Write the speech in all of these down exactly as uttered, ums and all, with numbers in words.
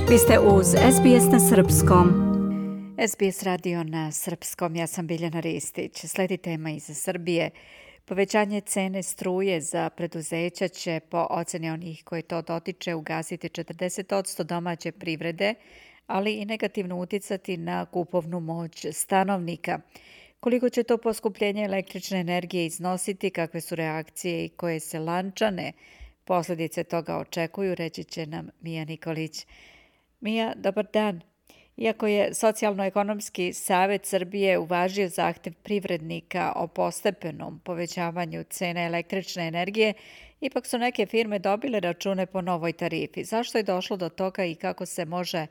Vi ste uz S B S na Srpskom. S B S radio na Srpskom, ja sam Biljana Ristić. Sledi tema iz Srbije. Povećanje cene struje za preduzeća će, po oceni onih koji to dotiče, ugasiti četrdeset posto domaće privrede, ali i negativno uticati na kupovnu moć stanovnika. Koliko će to poskupljenje električne energije iznositi, kakve su reakcije i koje se lančane posljedice toga očekuju, reći će nam Mija Nikolić. Mija, dobar dan. Iako je Socijalno-ekonomski savjet Srbije uvažio zahtev privrednika o postepenom povećavanju cene električne energije, ipak su neke firme dobile račune po novoj tarifi. Zašto je došlo do toga i kako se može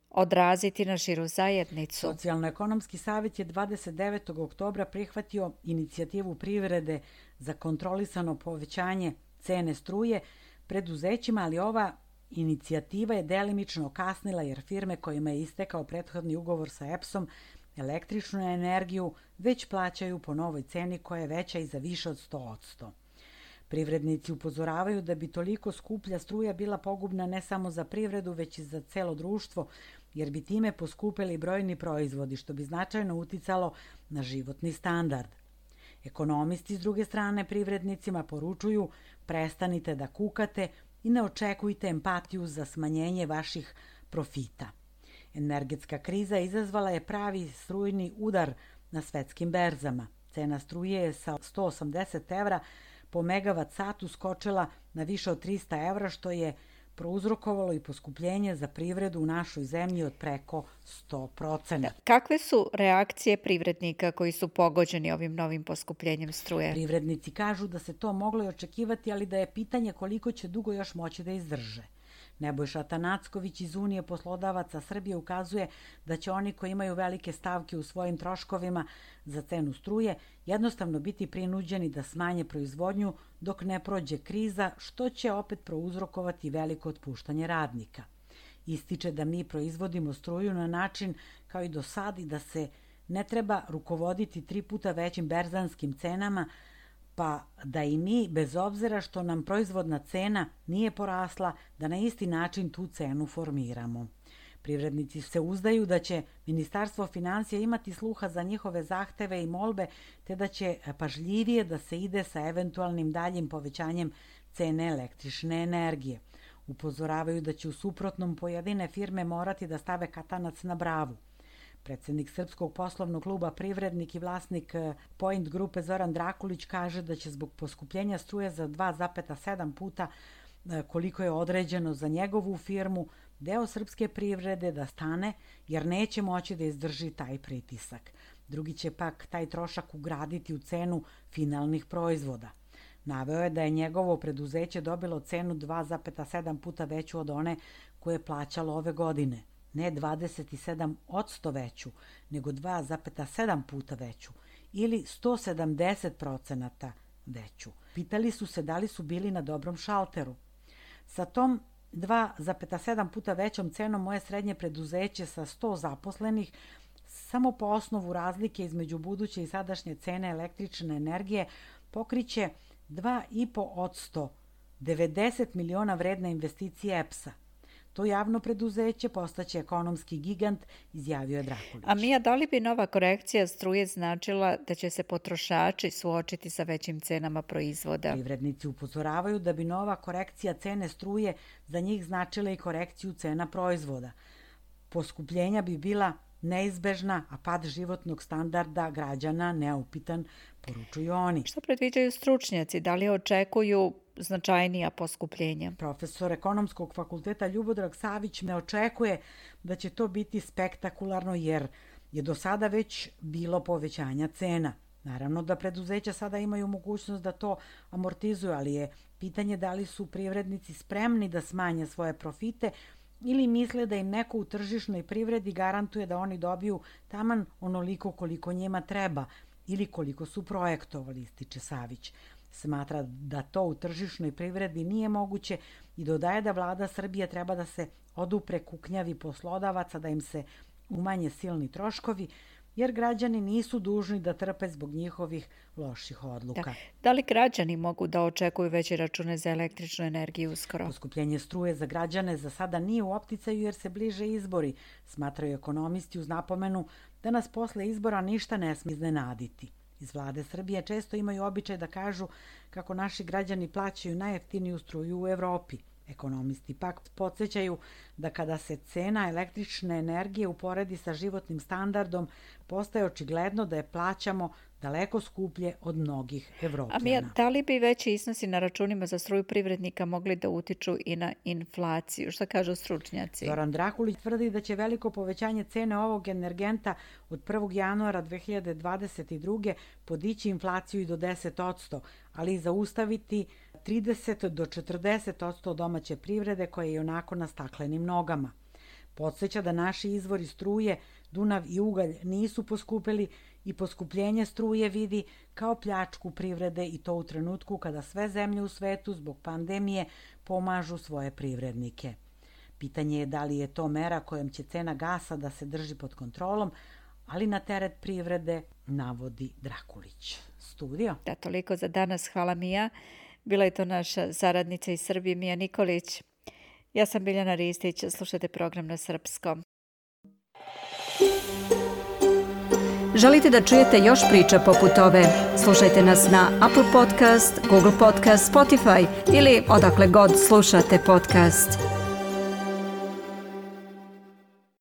odraziti na širu zajednicu? Socijalno-ekonomski savjet je dvadeset devetog oktobra prihvatio inicijativu privrede za kontrolisano povećanje cene struje preduzećima, ali ova inicijativa je delimično kasnila jer firme kojima je istekao prethodni ugovor sa E P S-om električnu energiju već plaćaju po novoj ceni koja je veća i za više od sto posto. Privrednici upozoravaju da bi toliko skuplja struja bila pogubna ne samo za privredu, već i za celo društvo, jer bi time poskupili brojni proizvodi, što bi značajno uticalo na životni standard. Ekonomisti s druge strane privrednicima poručuju: prestanite da kukate i ne očekujte empatiju za smanjenje vaših profita. Energetska kriza izazvala je pravi strujni udar na svetskim berzama. Cena struje je sa sto osamdeset evra po megavat satu skočila na više od trista evra, što je prouzrokovalo i poskupljenje za privredu u našoj zemlji od preko sto posto. Kakve su reakcije privrednika koji su pogođeni ovim novim poskupljenjem struje? Privrednici kažu da se to moglo i očekivati, ali da je pitanje koliko će dugo još moći da izdrže. Nebojša Tanacković iz Unije poslodavaca Srbije ukazuje da će oni koji imaju velike stavke u svojim troškovima za cenu struje jednostavno biti prinuđeni da smanje proizvodnju dok ne prođe kriza, što će opet prouzrokovati veliko otpuštanje radnika. Ističe da mi proizvodimo struju na način kao i do sad i da se ne treba rukovoditi tri puta većim berzanskim cenama, pa da i mi, bez obzira što nam proizvodna cena nije porasla, da na isti način tu cenu formiramo. Privrednici se uzdaju da će Ministarstvo finansija imati sluha za njihove zahteve i molbe, te da će pažljivije da se ide sa eventualnim daljim povećanjem cene električne energije. Upozoravaju da će u suprotnom pojedine firme morati da stave katanac na bravu. Predsjednik Srpskog poslovnog kluba Privrednik i vlasnik Point grupe Zoran Drakulić kaže da će zbog poskupljenja struje za dva zarez sedam puta koliko je određeno za njegovu firmu deo srpske privrede da stane jer neće moći da izdrži taj pritisak. Drugi će pak taj trošak ugraditi u cenu finalnih proizvoda. Naveo je da je njegovo preduzeće dobilo cenu dva zarez sedam puta veću od one koje je plaćalo ove godine. Ne dvadeset sedam posto veću, nego dva zarez sedam puta veću ili sto sedamdeset procenata veću. Pitali su se da li su bili na dobrom šalteru. Sa tom dva zarez sedam puta većom cenom moje srednje preduzeće sa sto zaposlenih samo po osnovu razlike između buduće i sadašnje cene električne energije pokriće dva zarez pet posto devedeset miliona vredne investicije E P S-a. To javno preduzeće postaće ekonomski gigant, izjavio je Drakulić. A Mija, da li bi nova korekcija struje značila da će se potrošači suočiti sa većim cenama proizvoda? Privrednici upozoravaju da bi nova korekcija cene struje za njih značila i korekciju cena proizvoda. Poskupljenja bi bila neizbežna, a pad životnog standarda građana neupitan, poručuju oni. Što predviđaju stručnjaci? Da li očekuju značajnija poskupljenja? Profesor Ekonomskog fakulteta Ljubodrag Savić ne očekuje da će to biti spektakularno jer je do sada već bilo povećanja cena. Naravno da preduzeća sada imaju mogućnost da to amortizuju, ali je pitanje da li su privrednici spremni da smanje svoje profite ili misle da im neko u tržišnoj privredi garantuje da oni dobiju taman onoliko koliko njima treba ili koliko su projektovali, ističe Savić. Smatra da to u tržišnoj privredi nije moguće i dodaje da vlada Srbije treba da se odupre kuknjavi poslodavaca, da im se umanje silni troškovi, jer građani nisu dužni da trpe zbog njihovih loših odluka. Da. Da li građani mogu da očekuju veće račune za električnu energiju uskoro? Poskupljenje struje za građane za sada nije u opticaju jer se bliže izbori, smatraju ekonomisti uz napomenu da nas posle izbora ništa ne smije iznenaditi. Iz vlade Srbije često imaju običaj da kažu kako naši građani plaćaju najjeftiniju struju u Evropi. Ekonomisti pak podsjećaju da kada se cena električne energije uporedi sa životnim standardom, postaje očigledno da je plaćamo daleko skuplje od mnogih Evropljana. A Mija, da li bi veći iznosi na računima za struju privrednika mogli da utiču i na inflaciju? Šta kažu stručnjaci? Zoran Drakulić tvrdi da će veliko povećanje cene ovog energenta od prvog januara dve hiljade dvadeset druge podići inflaciju i do deset posto, ali i zaustaviti trideset do četrdeset posto domaće privrede koja je i onako na staklenim nogama. Podsjeća da naši izvori struje, Dunav i ugalj, nisu poskupili i poskupljenje struje vidi kao pljačku privrede i to u trenutku kada sve zemlje u svetu zbog pandemije pomažu svoje privrednike. Pitanje je da li je to mera kojom će cena gasa da se drži pod kontrolom, ali na teret privrede, navodi Drakulić. Studio. Da, toliko za danas. Hvala Mija. Bila je to naša saradnica iz Srbije, Mija Nikolić. Ja sam Biljana Ristić, slušajte program na srpskom. Želite da čujete još priča poput ove? Slušajte nas na Apple Podcast, Google Podcast, Spotify ili odakle god slušate podcast.